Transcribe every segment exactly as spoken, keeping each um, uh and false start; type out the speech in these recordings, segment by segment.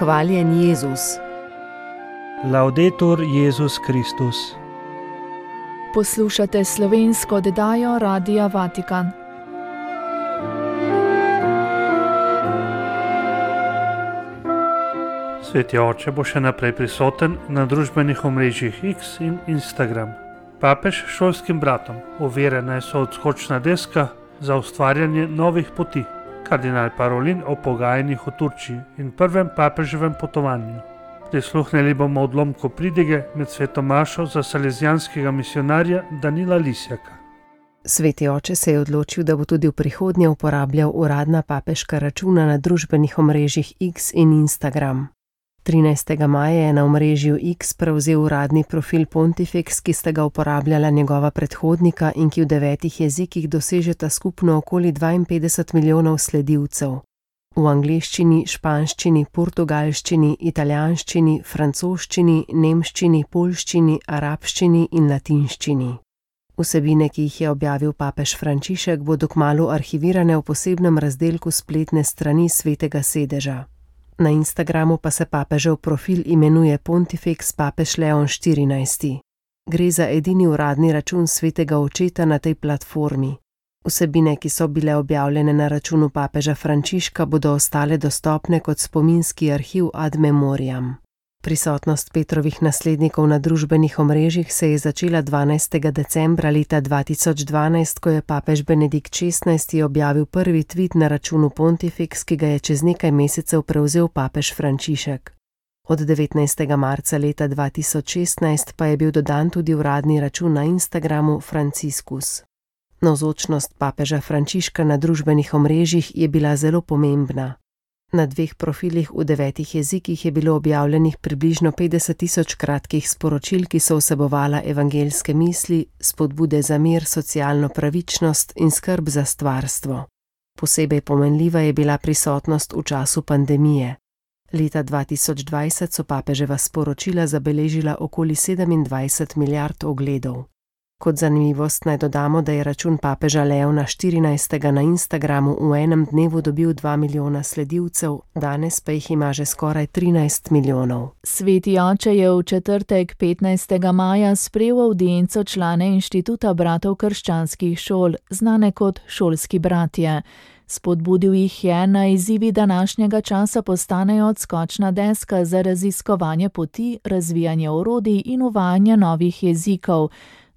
Hvaljen Jezus. Laudetur Jezus Kristus. Poslušate slovensko oddajo Radia Vatikan. Sveti oče bo še naprej prisoten na družbenih omrežjih X in Instagram. Papež šolskim bratom overjena je so odskočna deska za ustvarjanje novih poti. Kardinal Parolin o pogajanjih v Turčiji in prvem papeževem potovanju. Prisluhnili bomo odlomku pridige med sveto mašo za salezijanskega misionarja Danila Lisjaka. Sveti oče se je odločil, da bo tudi v prihodnje uporabljal uradna papeška računa na družbenih omrežjih X in Instagram. trinajstega maja je na omrežju X prevzel uradni profil Pontifex, ki sta ga uporabljala njegova predhodnika in ki v devetih jezikih dosežeta skupno okoli dvainpetdeset milijonov sledilcev. V angleščini, španščini, portugalščini, italijanščini, francoščini, nemščini, poljščini, arabščini in latinščini. Vsebine, ki jih je objavil papež Frančišek, bodo kmalu arhivirane v posebnem razdelku spletne strani Svetega sedeža. Na Instagramu pa se papežev profil imenuje Pontifex papež Leon štirinajsti. Gre za edini uradni račun svetega očeta na tej platformi. Vsebine, ki so bile objavljene na računu papeža Frančiška, bodo ostale dostopne kot spominski arhiv ad memoriam. Prisotnost Petrovih naslednikov na družbenih omrežjih se je začela dvanajstega decembra leta dva tisoč dvanajst, ko je papež Benedikt šestnajsti objavil prvi tvit na računu Pontifex, ki ga je čez nekaj mesecev prevzel papež Frančišek. Od devetnajstega marca leta dva tisoč šestnajst pa je bil dodan tudi uradni račun na Instagramu Franciscus. Navzočnost papeža Frančiška na družbenih omrežjih je bila zelo pomembna. Na dveh profilih v devetih jezikih je bilo objavljenih približno petdeset tisoč kratkih sporočil, ki so vsebovala evangeljske misli, spodbude za mir, socialno pravičnost in skrb za stvarstvo. Posebej pomenljiva je bila prisotnost v času pandemije. Leta dva tisoč dvajset so papeževa sporočila zabeležila okoli sedemindvajset milijard ogledov. Kot zanimivost naj dodamo, da je račun papeža Leona štirinajstega na Instagramu v enem dnevu dobil dva milijona sledilcev, danes pa jih ima že skoraj trinajst milijonov. Sveti oče je v četrtek petnajstega maja sprejel avdienco člane Inštituta bratov krščanskih šol, znane kot šolski bratje. Spodbudil jih je, naj izzivi današnjega časa postanejo odskočna deska za raziskovanje poti, razvijanje orodij in uvajanje novih jezikov,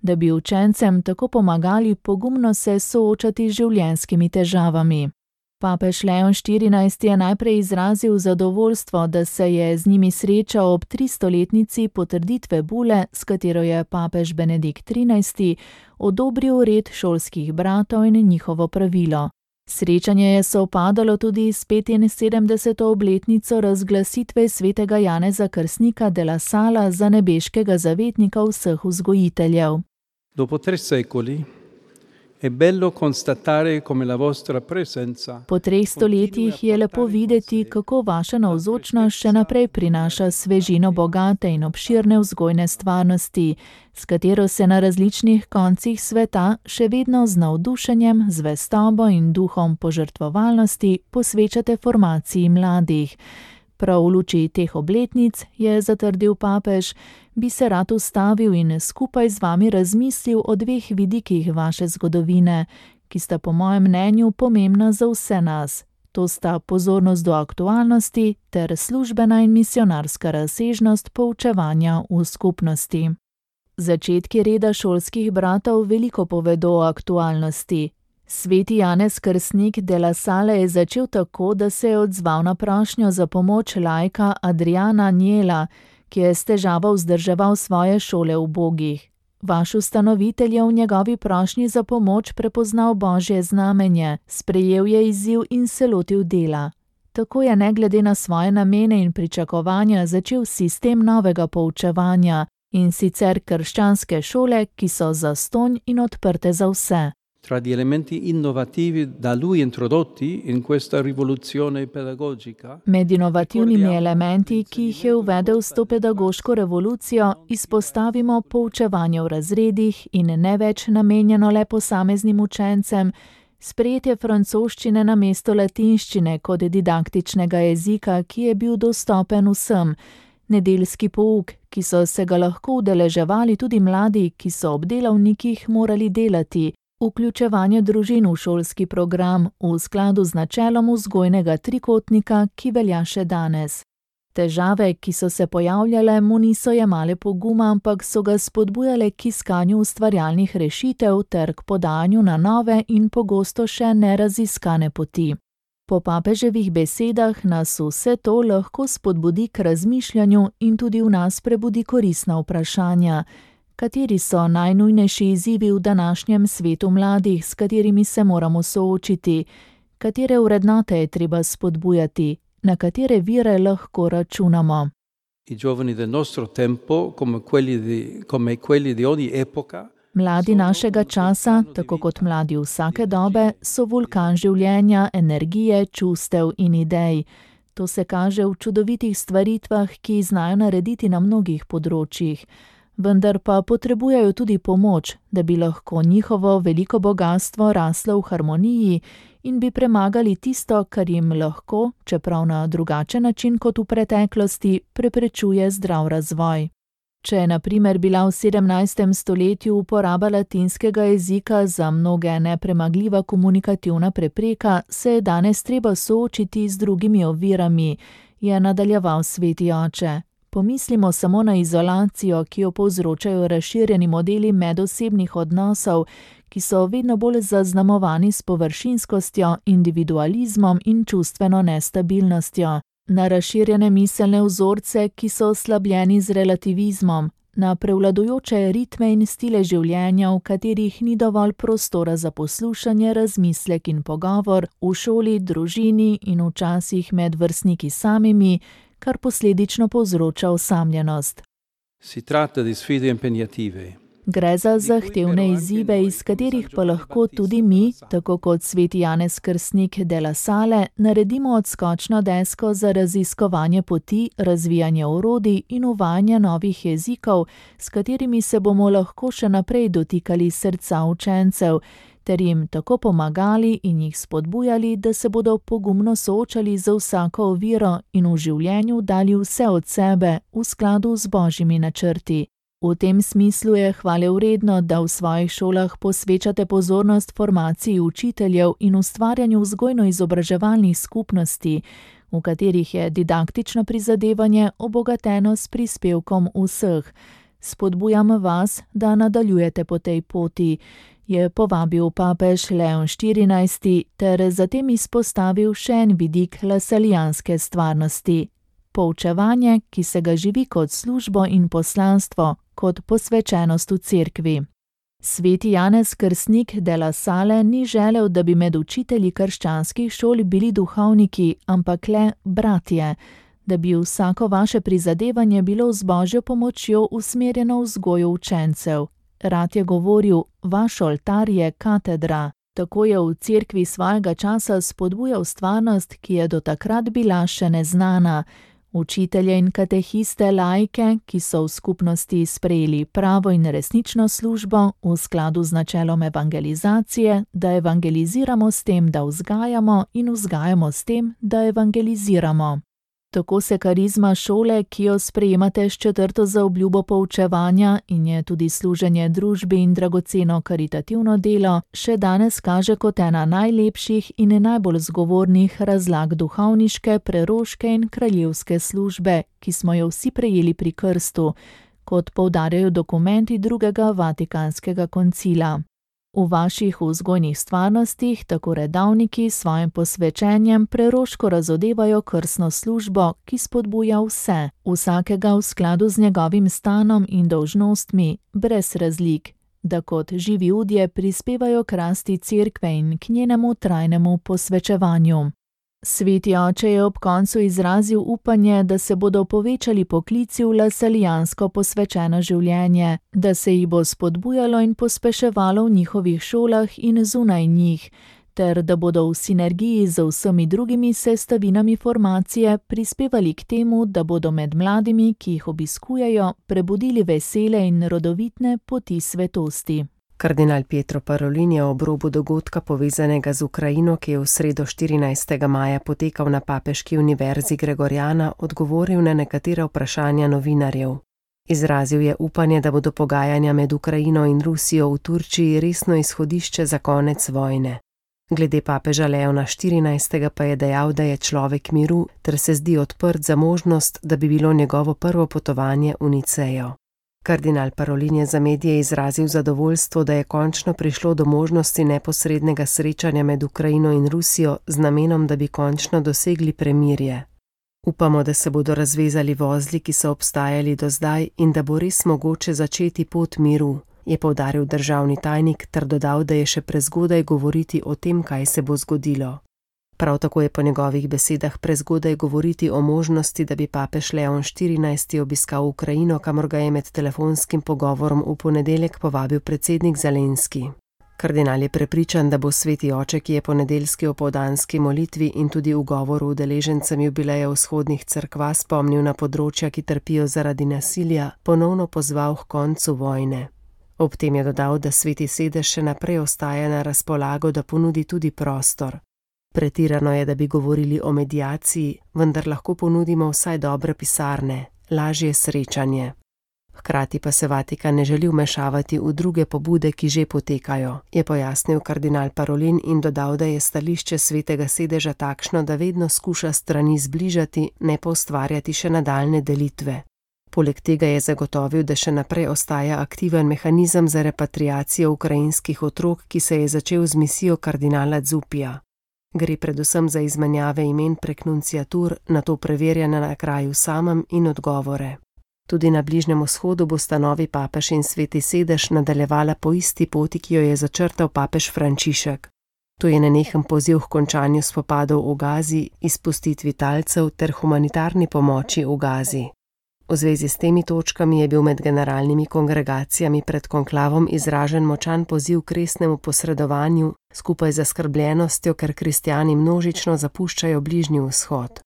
da bi učencem tako pomagali pogumno se soočati z življenjskimi težavami. Papež Leon štirinajsti je najprej izrazil zadovoljstvo, da se je z njimi srečal ob tristoletnici potrditve bule, s katero je papež Benedikt trinajsti odobril red šolskih bratov in njihovo pravilo. Srečanje je sovpadalo tudi s petinsedemdeseto obletnico razglasitve svetega Janeza Krstnika de la Sala za nebeškega zavetnika vseh vzgojiteljev. Dopo tre secoli è bello constatare come la vostra presenza. Po treh stoletjih je lepo videti, kako vaša navzočnost še naprej prinaša svežino bogate in obširne vzgojne stvarnosti, s katero se na različnih koncih sveta še vedno z navdušenjem, zvestobo in duhom požrtvovalnosti posvečate formaciji mladih. Prav v luči teh obletnic, je zatrdil papež, bi se rad ustavil in skupaj z vami razmislil o dveh vidikih vaše zgodovine, ki sta po mojem mnenju pomembna za vse nas. To sta pozornost do aktualnosti ter službena in misionarska razsežnost poučevanja v skupnosti. Začetki reda šolskih bratov veliko povedo o aktualnosti. Sveti Janez Krstnik de la Sala je začel tako, da se je odzval na prošnjo za pomoč laika Adriana Njela, ki je s težavo vzdrževal svoje šole ubogih. Vaš ustanovitelj je v njegovi prošnji za pomoč prepoznal božje znamenje, sprejel je izziv in se lotil dela. Tako je ne glede na svoje namene in pričakovanja začel sistem novega poučevanja, in sicer krščanske šole, ki so zastonj in odprte za vse. Tra gli elementi innovativi da lui introdotti in questa rivoluzione pedagogica. Med inovativnimi elementi, ki jih je uvedel s to pedagoško revolucijo, izpostavimo poučevanje v razredih in ne več namenjeno le posameznim učencem, Sprejetje francoščine namesto latinščine kot didaktičnega jezika, ki je bil dostopen vsem, nedeljski pouk, ki so se ga lahko udeleževali tudi mladi, ki so ob delavnikih morali delati, vključevanje družin v šolski program v skladu z načelom vzgojnega trikotnika, ki velja še danes. Težave, ki so se pojavljale, mu niso jemale poguma, ampak so ga spodbujale k iskanju ustvarjalnih rešitev ter k podajanju na nove in pogosto še neraziskane poti. Po papeževih besedah nas vse to lahko spodbudi k razmišljanju in tudi v nas prebudi koristna vprašanja. Kateri so najnujnejši izzivi v današnjem svetu mladih, s katerimi se moramo soočiti? Katere vrednote je treba spodbujati? Na katere vire lahko računamo? I giovani del nostro tempo, come quelli di, come quelli di ogni epoca, Mladi našega časa, tako kot mladi vsake dobe, so vulkan življenja, energije, čustev in idej. To se kaže v čudovitih stvaritvah, ki znajo narediti na mnogih področjih. Vendar pa potrebujejo tudi pomoč, da bi lahko njihovo veliko bogastvo raslo v harmoniji in bi premagali tisto, kar jim lahko, čeprav na drugačen način kot v preteklosti, preprečuje zdrav razvoj. Če je na primer bila v sedemnajstem stoletju uporaba latinskega jezika za mnoge nepremagljiva komunikativna prepreka, se je danes treba soočiti z drugimi ovirami, je nadaljeval sveti oče. Pomislimo samo na izolacijo, ki jo povzročajo razširjeni modeli medosebnih odnosov, ki so vedno bolj zaznamovani s površinskostjo, individualizmom in čustveno nestabilnostjo. Na razširjene miselne vzorce, ki so oslabljeni z relativizmom, na prevladujoče ritme in stile življenja, v katerih ni dovolj prostora za poslušanje, razmislek in pogovor, v šoli, družini in včasih med vrstniki samimi, kar posledično povzroča osamljenost. Si tratta di sfide impegnative. Gre za zahtevne izzive, iz katerih pa lahko tudi mi, tako kot sveti Janez Krstnik de la Salle, naredimo odskočno desko za raziskovanje poti, razvijanje orodij in uvajanje novih jezikov, s katerimi se bomo lahko še naprej dotikali srca učencev, ter jim tako pomagali in jih spodbujali, da se bodo pogumno soočali z vsako oviro in v življenju dali vse od sebe v skladu z božjimi načrti. V tem smislu je hvalevredno, da v svojih šolah posvečate pozornost formaciji učiteljev in ustvarjanju vzgojno-izobraževalnih skupnosti, v katerih je didaktično prizadevanje obogateno s prispevkom vseh. Spodbujam vas, da nadaljujete po tej poti, je povabil papež Leon štirinajsti ter zatem izpostavil še en vidik lasalijanske stvarnosti. Poučevanje, ki se ga živi kot službo in poslanstvo, kot posvečenost v cerkvi. Sveti Janez Krstnik de la Salle ni želel, da bi med učitelji krščanskih šol bili duhovniki, ampak le bratje, da bi vsako vaše prizadevanje bilo z božjo pomočjo usmerjeno v vzgojo učencev. Rad je govoril, vaš oltar je katedra. Tako je v cerkvi svojega časa spodbujal stvarnost, ki je do takrat bila še neznana. Učitelje in katehiste laike, ki so v skupnosti sprejeli pravo in resnično službo v skladu z načelom evangelizacije, da evangeliziramo s tem, da vzgajamo in vzgajamo s tem, da evangeliziramo. Tako se karizma šole, ki jo sprejemate s četrto zaobljubo poučevanja in je tudi služenje družbi in dragoceno karitativno delo, še danes kaže kot ena najlepših in najbolj zgovornih razlag duhovniške, preroške in kraljevske službe, ki smo jo vsi prejeli pri krstu, kot poudarjajo dokumenti drugega Vatikanskega koncila. V vaših vzgojnih stvarnostih tako redavniki s svojim posvečenjem preroško razodevajo krstno službo, ki spodbuja vse, vsakega v skladu z njegovim stanom in dolžnostmi, brez razlik, da kot živi udje prispevajo k rasti cerkve in k njenemu trajnemu posvečevanju. Sveti oče je ob koncu izrazil upanje, da se bodo povečali poklici v lasalijansko posvečeno življenje, da se jih bo spodbujalo in pospeševalo v njihovih šolah in zunaj njih, ter da bodo v sinergiji z vsemi drugimi sestavinami formacije prispevali k temu, da bodo med mladimi, ki jih obiskujejo, prebudili vesele in rodovitne poti svetosti. Kardinal Pietro Parolin je ob robu dogodka povezanega z Ukrajino, ki je v sredo štirinajstega maja potekal na Papeški univerzi Gregoriana, odgovoril na nekatera vprašanja novinarjev. Izrazil je upanje, da bodo pogajanja med Ukrajino in Rusijo v Turčiji resno izhodišče za konec vojne. Glede papeža Leona štirinajstega pa je dejal, da je človek miru ter se zdi odprt za možnost, da bi bilo njegovo prvo potovanje v Nicejo. Kardinal Parolin je za medije izrazil zadovoljstvo, da je končno prišlo do možnosti neposrednega srečanja med Ukrajino in Rusijo z namenom, da bi končno dosegli premirje. Upamo, da se bodo razvezali vozli, ki so obstajali do zdaj in da bo res mogoče začeti pot miru, je poudaril državni tajnik ter dodal, da je še prezgodaj govoriti o tem, kaj se bo zgodilo. Prav tako je po njegovih besedah prezgodaj govoriti o možnosti, da bi papež Leon štirinajsti obiskal Ukrajino, kamor ga je med telefonskim pogovorom v ponedeljek povabil predsednik Zelenski. Kardinal je prepričan, da bo sveti oče, ki je po nedeljski opoldanski molitvi in tudi v govoru udeležencem jubileja vzhodnih cerkva spomnil na področja, ki trpijo zaradi nasilja, ponovno pozval k koncu vojne. Ob tem je dodal, da sveti sedež še naprej ostaja na razpolago, da ponudi tudi prostor. Pretirano je, da bi govorili o mediaciji, vendar lahko ponudimo vsaj dobre pisarne, lažje srečanje. Hkrati pa se Vatikan ne želi vmešavati v druge pobude, ki že potekajo, je pojasnil kardinal Parolin in dodal, da je stališče svetega sedeža takšno, da vedno skuša strani zbližati, ne pa ustvarjati še nadaljne delitve. Poleg tega je zagotovil, da še naprej ostaja aktiven mehanizem za repatriacijo ukrajinskih otrok, ki se je začel z misijo kardinala Zupija. Gre predvsem za izmenjave imen prek nunciatur, nato preverjene na kraju samem in odgovore. Tudi na Bližnjem vzhodu bosta novi papež in sveti sedež nadaljevala po isti poti, ki jo je začrtal papež Frančišek. To je nenehen poziv k končanju spopadov v Gazi, izpustitvi talcev ter humanitarni pomoči v Gazi. V zvezi s temi točkami je bil med generalnimi kongregacijami pred konklavom izražen močan poziv k resnemu posredovanju, skupaj z zaskrbljenostjo, ker kristjani množično zapuščajo Bližnji vzhod.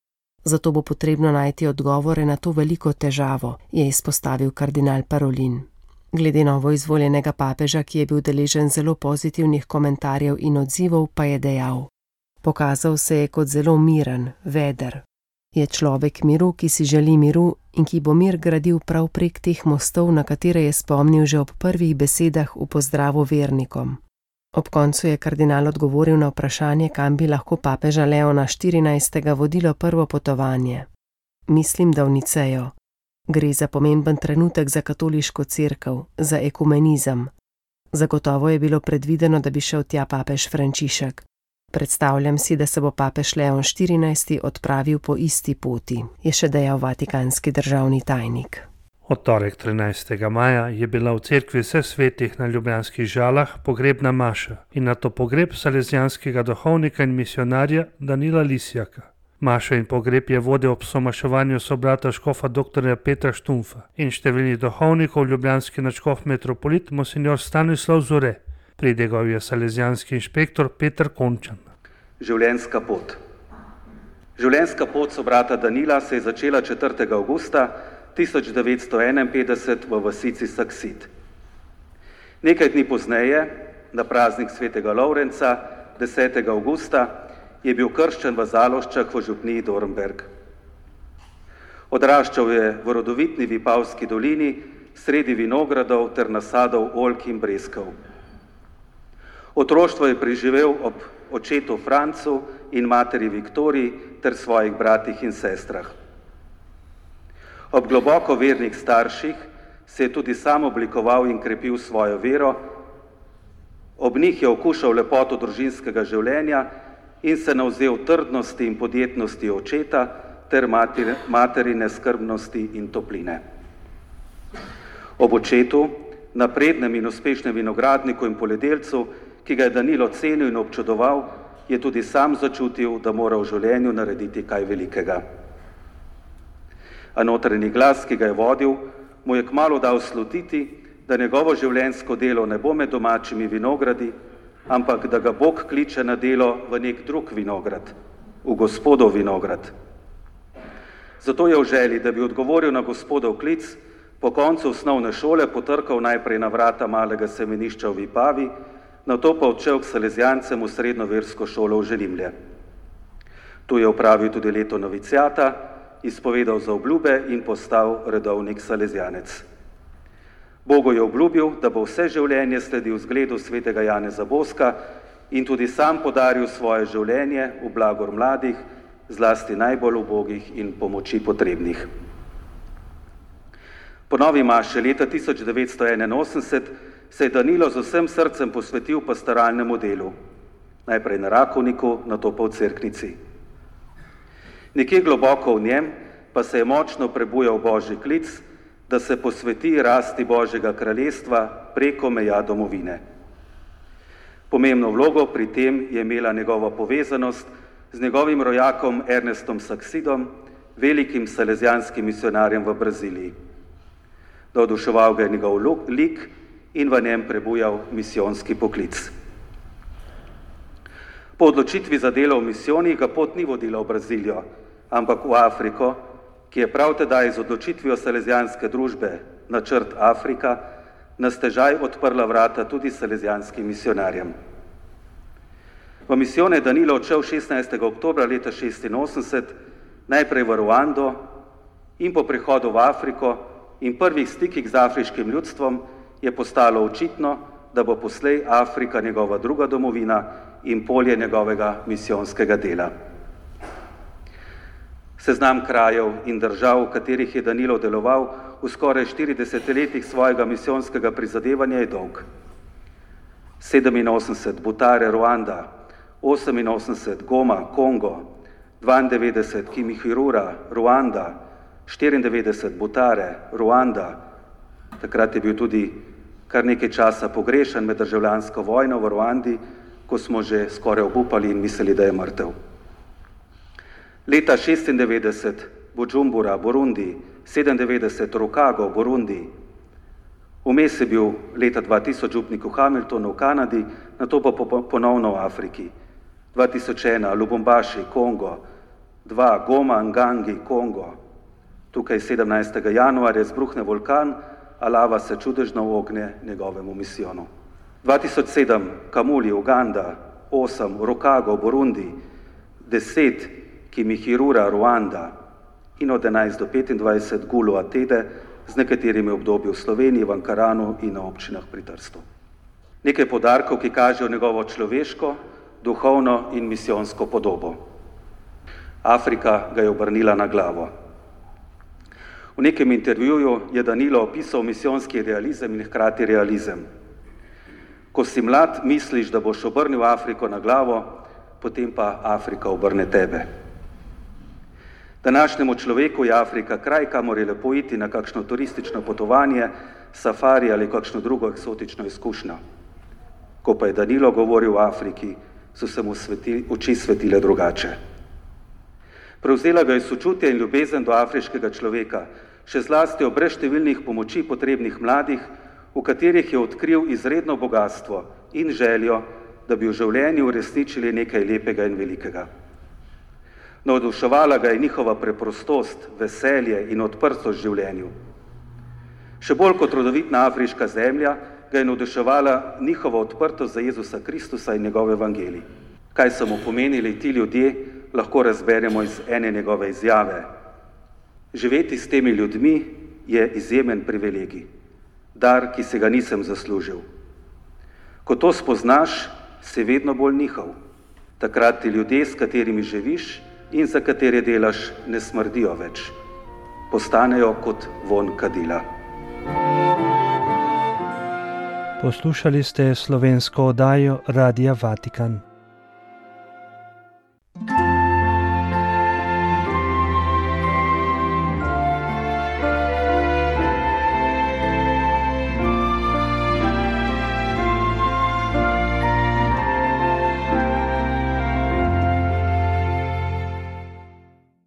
Zato bo potrebno najti odgovore na to veliko težavo, je izpostavil kardinal Parolin. Glede novo izvoljenega papeža, ki je bil deležen zelo pozitivnih komentarjev in odzivov, pa je dejal: Pokazal se je kot zelo miren, veder. Je človek miru, ki si želi miru in ki bo mir gradil prav prek teh mostov, na katere je spomnil že ob prvih besedah v pozdravu vernikom. Ob koncu je kardinal odgovoril na vprašanje, kam bi lahko papeža Leona štirinajstega vodilo prvo potovanje. Mislim, da v Nicejo. Gre za pomemben trenutek za katoliško cerkev, za ekumenizem. Zagotovo je bilo predvideno, da bi šel tja papež Frančišek. Predstavljam si, da se bo papež Leon štirinajsti odpravil po isti poti, je še dejal vatikanski državni tajnik. Od torek trinajstega maja je bila v cerkvi vseh svetih na Ljubljanskih Žalah pogrebna maša in nato pogreb salezijanskega duhovnika in misionarja Danila Lisjaka. Mašo in pogreb je vodil ob somaševanju sobrata škofa doktorja Petra Štumfa in številnih duhovnikov ljubljanski nadškof metropolit monsignor Stanislav Zore. Pridegov je salezijanski inšpektor Peter Končan. Življenjska pot. Življenjska pot sobrata Danila se je začela četrtega avgusta tisoč devetsto enainpetdeset v vasici Saksit. Nekaj dni pozneje, na praznik svetega Lovrenca, desetega avgusta, je bil krščen v Zaloščah v župniji Dornberg. Odraščal je v rodovitni Vipavski dolini, sredi vinogradov ter nasadov oljk in breskov. Otroštvo je preživel ob očetu Francu in materi Viktoriji ter svojih bratih in sestrah. Ob globoko vernih starših se je tudi sam oblikoval in krepil svojo vero, ob njih je okušal lepoto družinskega življenja in se navzel trdnosti in podjetnosti očeta ter mater, materine skrbnosti in topline. Ob očetu, naprednem in uspešnem vinogradniku in poljedelcu, ki ga je Danilo cenil in občudoval, je tudi sam začutil, da mora v življenju narediti kaj velikega. A notranji glas, ki ga je vodil, mu je kmalu dal slutiti, da njegovo življenjsko delo ne bo med domačimi vinogradi, ampak da ga Bog kliče na delo v nek drug vinograd, v Gospodov vinograd. Zato je v želji, da bi odgovoril na Gospodov klic, Po koncu osnovne šole potrkal najprej na vrata malega semenišča v Vipavi, nato pa odšel k salezijancem v srednjo versko šolo v Želimlje. Tu je opravil tudi leto noviciata, izpovedal za obljube in postal redovnik salezijanec. Bogu je obljubil, da bo vse življenje sledil zgledu svetega Janeza Boska in tudi sam podaril svoje življenje v blagor mladih, zlasti najbolj ubogih in pomoči potrebnih. Po novi maši leta tisoč devetsto enainosemdeset se je Danilo z vsem srcem posvetil pastoralnemu delu, najprej na Rakovniku, nato pa v Cerknici. Nekje globoko v njem pa se je močno prebujal Božji klic, da se posveti rasti Božjega kraljestva preko meja domovine. Pomembno vlogo pri tem je imela njegova povezanost z njegovim rojakom Ernestom Saksidom, velikim salezijanskim misionarjem v Braziliji. Navduševal ga je njegov lik in v njem prebujal misijonski poklic. Po odločitvi za delo v misijoni ga pot ni vodila v Brazilijo, ampak v Afriko, ki je prav tedaj z odločitvijo salezijanske družbe Načrt Afrika na stežaj odprla vrata tudi salezijanskim misionarjem. V misijon je Danilo odšel šestnajstega oktobra leta šestinosemdeset, najprej v Ruando in po prihodu v Afriko in prvih stikih z afriškim ljudstvom je postalo očitno, da bo poslej Afrika njegova druga domovina in polje njegovega misijonskega dela. Seznam krajev in držav, v katerih je Danilo deloval v skoraj štiridesetih letih svojega misijonskega prizadevanja, je dolg. sedeminosemdeset Butare, Ruanda, oseminosemdeset Goma, Kongo, dvaindevetdeset Kimihurura, Ruanda, štiriindevetdeset Butare, Ruanda. Takrat je bil tudi kar nekaj časa pogrešan med državljansko vojno v Ruandi, ko smo že skoraj obupali in mislili, da je mrtev. Leta šestindevetdeset Bujumbura, Burundi, sedemindevetdeset Rukago, Burundi. Vmes je bil leta dva tisoč župnik v Hamiltonu v Kanadi, nato pa ponovno v Afriki. dva tisoč ena Lubumbaši, Kongo, dva Goma, Ngangi, Kongo. Tukaj sedemnajstega januarja izbruhne vulkan, a lava se čudežno ogne njegovemu misijonu. dva tisoč sedem Kamuli, Uganda, osem Rukago, Burundi, deset Kimihurura, Ruanda in od enajst do petindvajset Gulu Atede z nekaterimi obdobji v Sloveniji, v Ankaranu in na občinah pri Trstu. Nekaj podarkov, ki kažejo njegovo človeško, duhovno in misijonsko podobo. Afrika ga je obrnila na glavo. V nekem intervjuju je Danilo opisal misijonski realizem in hkrati realizem. Ko si mlad, misliš, da boš obrnil Afriko na glavo, potem pa Afrika obrne tebe. Današnjemu človeku je Afrika kraj, kamor je lepo iti na kakšno turistično potovanje, safari ali kakšno drugo eksotično izkušnjo. Ko pa je Danilo govoril o Afriki, so se mu sveti, oči svetile drugače. Prevzela ga je sočutje in ljubezen do afriškega človeka, še zlasti ob brezštevilnih pomoči potrebnih mladih, v katerih je odkril izredno bogatstvo in željo, da bi v življenju uresničili nekaj lepega in velikega. Navduševala ga je njihova preprostost, veselje in odprtost življenju. Še bolj kot rodovitna afriška zemlja ga je navduševala njihova odprtost za Jezusa Kristusa in njegov evangelij. Kaj so mu pomenili ti ljudje, lahko razberemo iz ene njegove izjave. Živeti s temi ljudmi je izjemen privilegij, dar, ki se ga nisem zaslužil. Ko to spoznaš, si vedno bolj njihov. Takrat ti ljudje, s katerimi živiš in za katere delaš, ne smrdijo več. Postanejo kot vonj kadila. Poslušali ste slovensko oddajo Radia Vatikan.